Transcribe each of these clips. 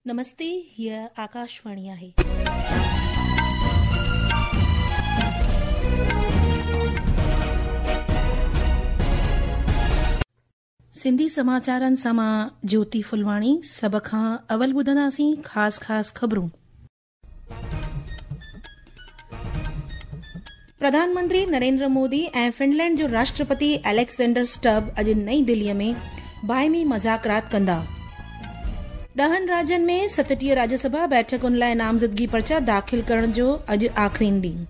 نمستي، هيء آڪاشواڻي آهي. سنڌي سماچارن سان مان جيوتي ڦلواڻي سڀ کان اول ٻڌنداسين خاص خاص خبرون. پرڌان منتري نريندر مودي ۽ فنلينڊ جو راشٽرپتي اليگزينڊر اسٽب اڄ نئين دهلي ۾ باهمي مذاڪرات ڪندا. ڏهن راجين ۾ 37 راجيه سڀا بيٺڪن لاء نامزدگي پرچا داخل ڪرڻ جو اڄ آخرين ڏينهن.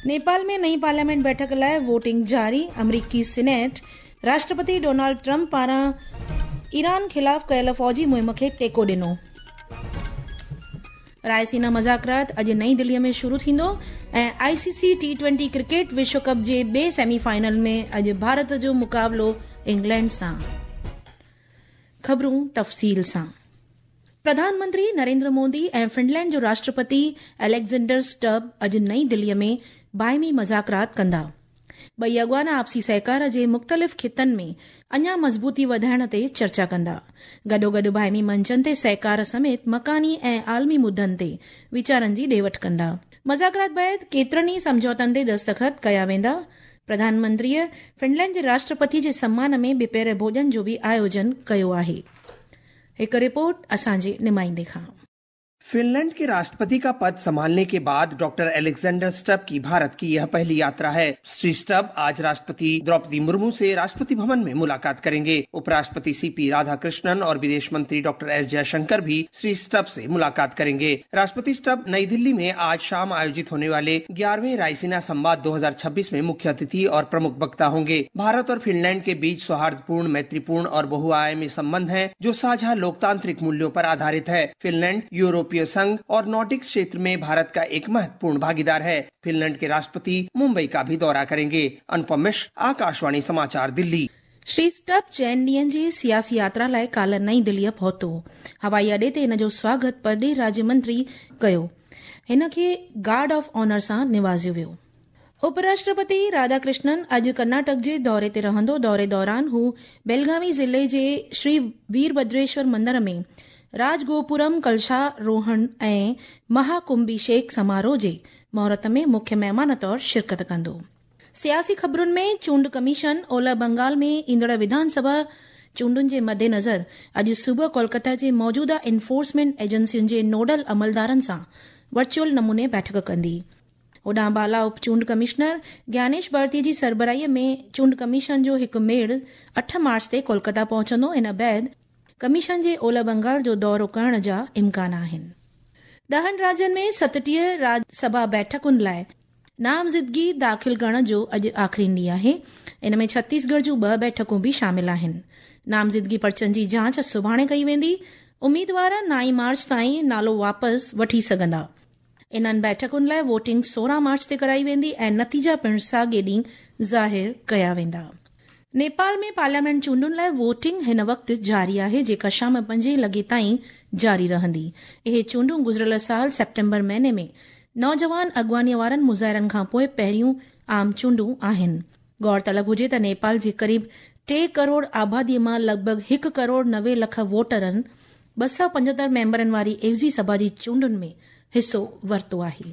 نيپال ۾ نئين پارليامينٽ بيٺڪ لاء ووٽنگ جاري. آمريڪي سينيٽ راشٽرپتي ڊونالڊ ٽرمپ پاران ايران خلاف ڪيل فوجي مهم کي ٽيڪو ڏنو. رائسينا مذاڪرات اڄ نئين دهلي ۾ شروع ٿيندو ۽ آء سي سي ٽي ٽوئنٽي ڪرڪيٽ وشو ڪپ جي ٻئي سيمي فائنل ۾ اڄ ڀارت جو مقابلو انگلينڊ سان. خبرون تفصيل سان. پرڌان منتري نريندر مودي ۽ فنلينڊ جو راشٽرپتي اليگزينڊر اسٽب اڄ نئين دهلي ۾ باهمي مذاڪرات ڪندا. ٻئي اڳواڻ آپسي سهڪار جي مختلف خطن ۾ اڃا مضبوطي وڌائڻ تي چرچا ڪندا. گڏوگڏ باهمي منچن تي سهڪار سميت مڪاني ۽ عالمي مدن تي ويچارن جي ڏي وٺ ڪندا. مذاڪرات بعد ڪيترن ئي سمجهوتن تي دستخط ڪيا ويندا. پرڌان منتريء فنلينڊ جي راشٽرپتي جي سمان ۾ ٻپهر ڀوڄن جو به آيوجن ڪيو آهي. هڪ رپورٽ اسان جي نمائندي کان. फिनलैंड के राष्ट्रपति का पद संभालने के बाद डॉक्टर अलेक्जेंडर स्टब की भारत की यह पहली यात्रा है। श्री स्टब आज राष्ट्रपति द्रौपदी मुर्मू से राष्ट्रपति भवन में मुलाकात करेंगे। उपराष्ट्रपति सीपी राधाकृष्णन और विदेश मंत्री डॉक्टर एस जयशंकर भी श्री स्टब से मुलाकात करेंगे। राष्ट्रपति स्टब नई दिल्ली में आज शाम आयोजित होने वाले 11वें रायसीना संवाद 2026 में मुख्य अतिथि और प्रमुख वक्ता होंगे। भारत और फिनलैंड के बीच सौहार्दपूर्ण, मैत्रीपूर्ण और बहुआयामी संबंध है, जो साझा लोकतांत्रिक मूल्यों पर आधारित है। फिनलैंड यूरोपीय संघ और नॉर्डिक क्षेत्र में भारत का एक महत्वपूर्ण भागीदार है। फिनलैंड के राष्ट्रपति मुंबई का भी दौरा करेंगे। अनुपम मिश्र, आकाशवाणी समाचार, दिल्ली। श्री स्टब चئनि ॾींहंनि जी सियासी यात्रा लाइ काल्ह नई दिल्लीअ पहुतो। हवाई अॾे ते हिन जो स्वागत परॾेही राज्य मंत्री कयो। हिन खे गार्ड ऑफ ऑनर सां निवाज़ियो वियो। उपराष्ट्रपति राधाकृष्णन अॼु कर्नाटक जे दौरे ते रहंदो। दौरे दौरान हू बेलगावी ज़िले जे श्री वीरभद्रेश्वर मंदर में राजगोपुरम कलशारोहण ऐं महाकुंभिषेक समारोह जे मुहूर्त में मुख्य महिमान तौर शिरकत कंदो। सियासी ख़बरुनि में चूंड कमीशन ओलह बंगाल में ईंदड़ विधानसभा चूंडुनि जे मद्देनज़र अॼु सुबुह कोलकाता जे मौजूदा एनफोर्समेंट एजेंसियुनि जे नोडल अमलदारनि सां वर्चुअल नमूने बैठक कंदी। होॾां बाला उप चूंड कमिश्नर ज्ञानेश भारती जी सरबराहीअ में चूंड कमीशन जो हिकु मेड़ 8 मार्च ते कोलकाता पहुचंदो। इन बाद कमीशन जे ओलह बंगाल जो दौरो करण जा इम्कान आहिनि। 10 राज्यनि में 37 राज्यसभा बैठकुनि लाइ नामज़दगी दाख़िल करण जो अॼु आख़िरी ॾींहुं आहे। इन में छत्तीसगढ़ जूं 2 बैठकूं बि शामिल आहिनि। नामज़दगी पर्चनि जी जांच सुभाणे कई वेंदी। उम्मीदवार 9 मार्च ताईं नालो वापसि वठी सघंदा। इन्हनि बैठकुनि लाइ वोटिंग 16 मार्च ते कराई वेंदी ऐं नतीजा पिणु साॻे ॾींहुं ज़ाहिर कया वेंदा। नेपाल में पार्लियामेंट चूंडुनि लाइ वोटिंग हिन वक़्तु जारी आहे, जेका शाम 5 लॻे ताईं जारी रहंदी। इहे चूंडूं गुज़िरियल साल सेप्टेम्बर महीने में नौजवान अॻवानीअ वारनि मुज़ाहिरनि खां पोइ पहिरियों आम चूंडूं आहिनि। गौर तलब हुजे त नेपाल जे क़रीब 3 करोड़ आबादीअ मां लॻभॻ 1 करोड़ 90 लख वोटरनि 275 मेंबरनि वारी एवज़ी सभा जी चूंडुनि में हिसो वरितो आहे।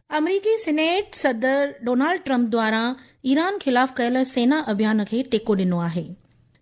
अमरीकी सीनेट सदर डोनाल्ड ट्रंप द्वारा ईरान ख़िलाफ़ कयल सेना अभियान खे टेको ॾिनो आहे।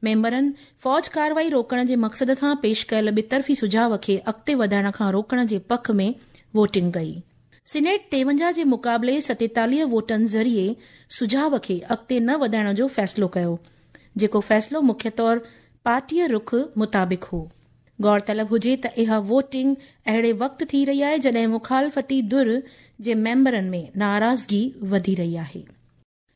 मेंबरनि फ़ौज कार्रवाई रोकण जे मक़सद सां पेश कयल ॿितरफ़ी सुझाव खे अॻिते वधाइण खां रोकण जे पख में वोटिंग कई। सीनेट 53 जे मुक़ाबले 47 वोटनि ज़रिए सुझाव खे अॻिते न वधाइण जो फ़ैसिलो कयो, जेको फ़ैसिलो मुख्य तौर पार्टीअ रुख मुताबिक़ हो। गौर तलब हुजे त इहा वोटिंग अहिड़े वक़्तु थी रही आहे जॾहिं मुखालफ़ती धुर जे मेंबरनि में नाराज़गी वधी रही आहे।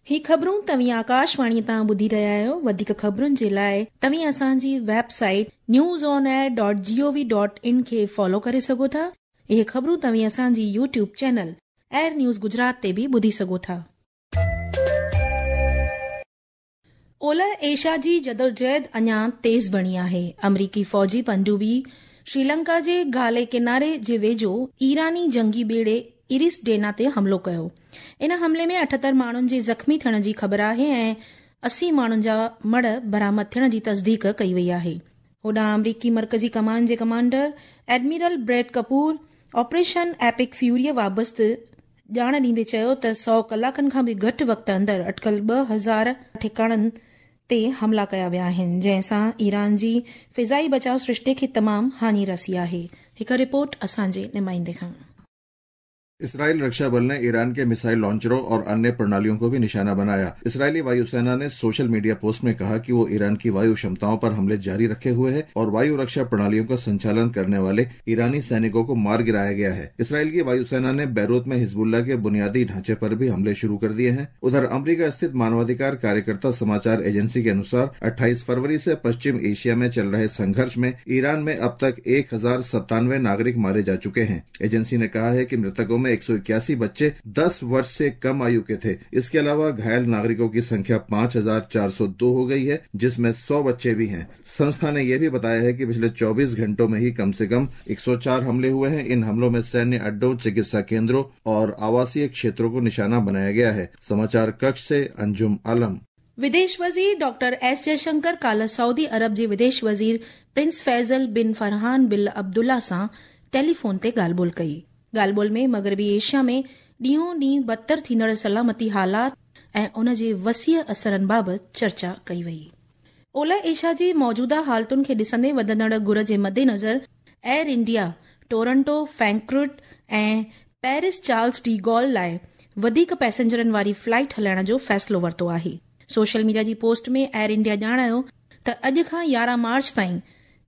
ही ख़बरूं तव्हीं आकाशवाणी तां ॿुधी रहिया आहियो। वधीक ख़बरुनि जे लाइ तव्हीं असांजी वेबसाइट newsonair.gov.in खे फॉलो करे सघो था। इहे ख़बरूं तव्हीं असांजी YouTube channel air news Gujarat ते बि ॿुधी सघो था। ओलह एशिया जी जदोजहद अञा तेज़ बणी आहे। अमरीकी फ़ौजी पनडुबी श्रीलंका जे गाले किनारे जे वेझो ईरानी जंगी ॿेड़े इरिस डेना ते हमलो कयो। इन हमले में 78 माण्हुनि जे ज़ख़्मी थियण जी ख़बर आहे ऐं 80 माण्हुनि जा मड़ बरामद थियण जी तस्दीक कई वई आहे। هوڏانهن آمريڪي مرڪزي ڪمان جي commander admiral Brad Cooper operation Epic Fury بابت ڄاڻ ڏيندي چيو ته 100 ڪلاڪن کان به گهٽ وقت اندر اٽڪل 2000 ٺڪاڻن تي حملا ڪيا ويا آهن، جنهن سان ايران جي فضائي بچاء سرشتي کي تمام هاڃي رسي آهي. هڪ رپورٽ اسان جي نمائندي کان. इसराइल रक्षा बल ने ईरान के मिसाइल लॉन्चरों और अन्य प्रणालियों को भी निशाना बनाया। इसराइली वायुसेना ने सोशल मीडिया पोस्ट में कहा कि वो ईरान की वायु क्षमताओं पर हमले जारी रखे हुए है और वायु रक्षा प्रणालियों का संचालन करने वाले ईरानी सैनिकों को मार गिराया गया है। इसराइल की वायुसेना ने बैरूत में हिजबुल्लाह के बुनियादी ढांचे पर भी हमले शुरू कर दिए हैं। उधर अमरीका स्थित मानवाधिकार कार्यकर्ता समाचार एजेंसी के अनुसार 28 फरवरी से पश्चिम एशिया में चल रहे संघर्ष में ईरान में अब तक 1097 नागरिक मारे जा चुके हैं। एजेंसी ने कहा है कि मृतकों में 181 बच्चे 10 वर्ष से कम आयु के थे। इसके अलावा घायल नागरिकों की संख्या 5402 हो गई है, जिसमें 100 बच्चे भी हैं। संस्था ने यह भी बताया है कि पिछले 24 घंटों में ही कम से कम 104 हमले हुए हैं। इन हमलों में सैन्य अड्डों, चिकित्सा केंद्रों और आवासीय क्षेत्रों को निशाना बनाया गया है। समाचार कक्ष से अंजुम आलम। विदेश वज़ीर डॉक्टर एस जयशंकर काल्ह सऊदी अरब जे विदेश वज़ीर prince Faisal bin Farhan bin Abdullah सां टेलीफोन ते ॻाल्हि ॿोल कई। ॻाल्हि ॿोल में मग़रबी एशिया में ॾींहों ॾींहुं बदतर थींदड़ सलामती हालात ऐं उन जे वसीअ असरनि बाबति चर्चा कई वई। ओलह एशिया जे मौजूदा हालतुनि खे ॾिसंदे वधंदड़ घुर जे मद्देनज़र एयर इंडिया टोरंटो, फ्रैंकफर्ट ऐं पेरिस चार्ल्स डी गॉल लाइ वधीक पैसेंजरनि वारी फ्लाइट हलाइण जो फ़ैसिलो वरितो आहे। सोशल मीडिया जी पोस्ट में एयर इंडिया ॼाणायो त अॼु खां 11 मार्च ताईं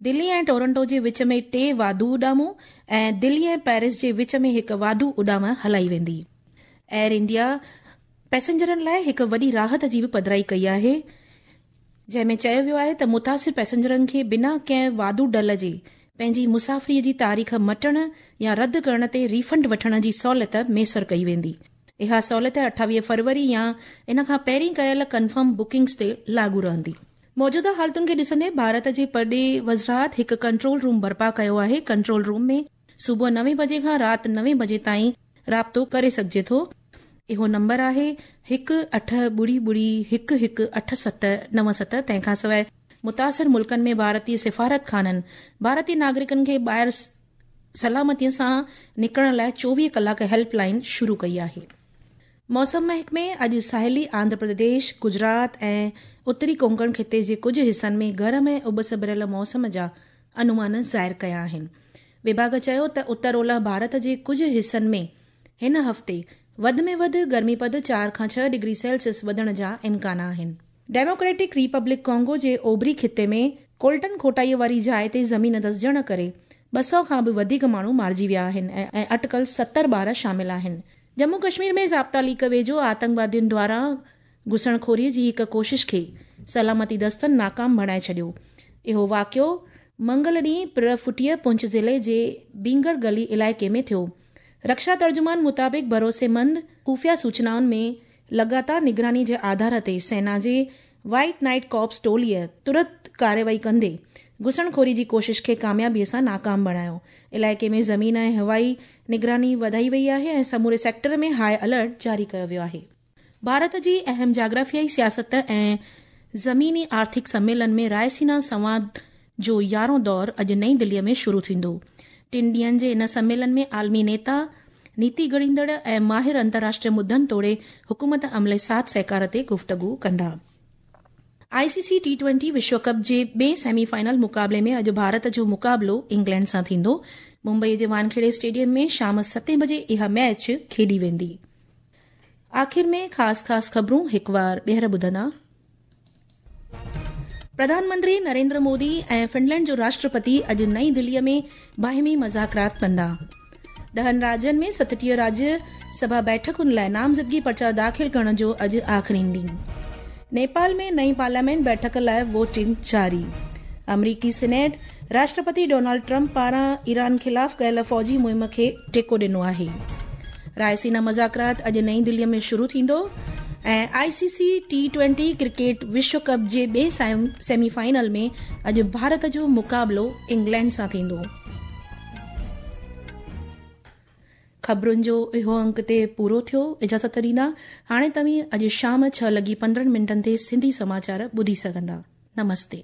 दिल्ली ऐं टोरंटो जे विच में 3 वाधू उॾामूं ऐं दिल्ली ऐं पेरिस जे विच में 1 वाधू उॾाम हलाई वेंदी। एयर इंडिया पैसेंजरनि लाइ हिकु वॾी राहत जी बि पधराई कई आहे, जंहिं में चयो वियो आहे त मुतासिर पैसेंजरनि खे बिना कंहिं वाधू डल जे पंहिंजी मुसाफ़िरीअ जी तारीख़ मटण या रद्द करण ते रिफंड वठण जी सहूलियत मयसर कई वेंदी। इहा सहूलियत 28 फरवरी या इन खां पहिरीं कयल कन्फर्म बुकिंग्स ते लागू रहंदी। मौजूदा हालतुनि खे ॾिसंदे भारत जे परॾेही वज़ारत हिकु कंट्रोल रूम बर्पा कयो आहे। कंट्रोल रूम में सुबुह 9 बजे खां राति 9 बजे ताईं राब्तो करे सघिजे थो। इहो नंबर आहे 1 8 0 0 1 1 8 7 9 7। तंहिंखां सवाइ मुतासिर मुल्कनि में भारतीय सिफारत खाननि भारतीय नागरिकनि खे ॿाहिरि सलामतीअ सां निकिरण लाइ 24 कलाक हेल्पलाइन शुरू कई आहे। मौसम महकमे अॼु साहिली आंध्र प्रदेश, गुजरात ऐं उत्तरी कोंकण ख़िते जे कुझु हिसनि में गरम ऐं उबस भरियल मौसम जा अनुमान ज़ाहिर कया आहिनि। विभाग चयो त उत्तर ओलह भारत जे कुझु हिसनि में हिन हफ़्ते वधि में वधि गर्मी पद 4 खां 6 डिग्री सेल्सियस वधण जा इम्कान आहिनि। डेमोक्रेटिक रिपब्लिक कॉन्गो जे ओभरी ख़िते में कोल्टन खोटाईअ वारी जाइ ते ज़मीन धसिजण करे 200 खां बि वधीक माण्हू मारिजी विया आहिनि ऐं अटकल 70 ॿार शामिल आहिनि। जम्मू कश्मीर में ज़ाब्ता लीक वेझो आतंकवादियुनि द्वारा घुसणखोरीअ जी हिकु कोशिश खे सलामती दस्तनि नाकाम बणाए छॾियो। इहो वाक़ियो मंगल ॾींहुं प्रफुटीअ पुंछ ज़िले जे बींगर गली इलाइक़े में थियो। रक्षा तर्जुमान मुताबिक़ भरोसेमंद ख़ुफ़िया सूचनाउनि में लगातार निगरानी जे आधार ते सेना जे वाइट नाइट कॉप्स टोलीअ तुरंत कार्रवाई कंदे घुसणखोरी जी कोशिश खे कामयाबीअ सां नाकाम बणायो। इलाइक़े में ज़मीन ऐं हवाई निगरानी वधाई वई आहे ऐं समूरे सेक्टर में हाई अलर्ट जारी कयो वियो आहे। भारत जी अहम जाग्राफियाई सियासत ऐं ज़मीनी आर्थिक सम्मेलन में रायसीना संवाद जो 11हों दौर अॼु नई दिल्लीअ में शुरू थींदो। 3 ॾींहंनि जे इन सम्मेलन में आलमी नेता, नीति घड़ींदड़ ऐं माहिर अंतर्राष्ट्रीय मुद्दनि तोड़े हुकूमत अमले साथ सहकार ते गुफ़्तगू कंदा। आईसीसी टी20 विश्व कप जे ॿिए सेमीफाइनल मुक़ाबले में अॼु भारत जो मुक़ाबलो इंग्लैंड सां थींदो। मुंबई जे वानखेड़े स्टेडियम में शाम 7 बजे इहा मैच खेॾी वेंदी। आख़िर में ख़ासि ख़ासि ख़बरूं हिकु वार ॿीहर ॿुधंदा। प्रधानमंत्री नरेंद्र मोदी ऐं फिनलैंड जो राष्ट्रपति अॼु नई दिल्लीअ में बाहिमी मज़ाकरात कंदा। 10 राज्यनि में 37 राज्य सभा बैठकुनि लाइ नामज़दगी पर्चा दाख़िल करण जो अॼु आख़िरी ॾींहुं। नेपाल में नई पार्लियामेंट बैठक लाइ वोटिंग जारी। अमरीकी सीनेट राष्ट्रपति डोनाल्ड ट्रंप पारां ईरान ख़िलाफ़ कयल फ़ौजी मुहिम खे टेको ॾिनो आहे। रायसीना मज़ाकरात अॼु नई दिल्लीअ में शुरू थींदो ऐं आईसीसी टी20 क्रिकेट विश्व कप जे ॿिए सेमीफाइनल में अॼु भारत जो मुक़ाबलो इंग्लैंड सां थींदो। ख़बरुनि जो इहो अंक ते पूरो थियो। इजाज़त ॾींदा। हाणे तव्हीं अॼु शाम 6:15 ते सिंधी समाचार ॿुधी सघंदा। नमस्ते।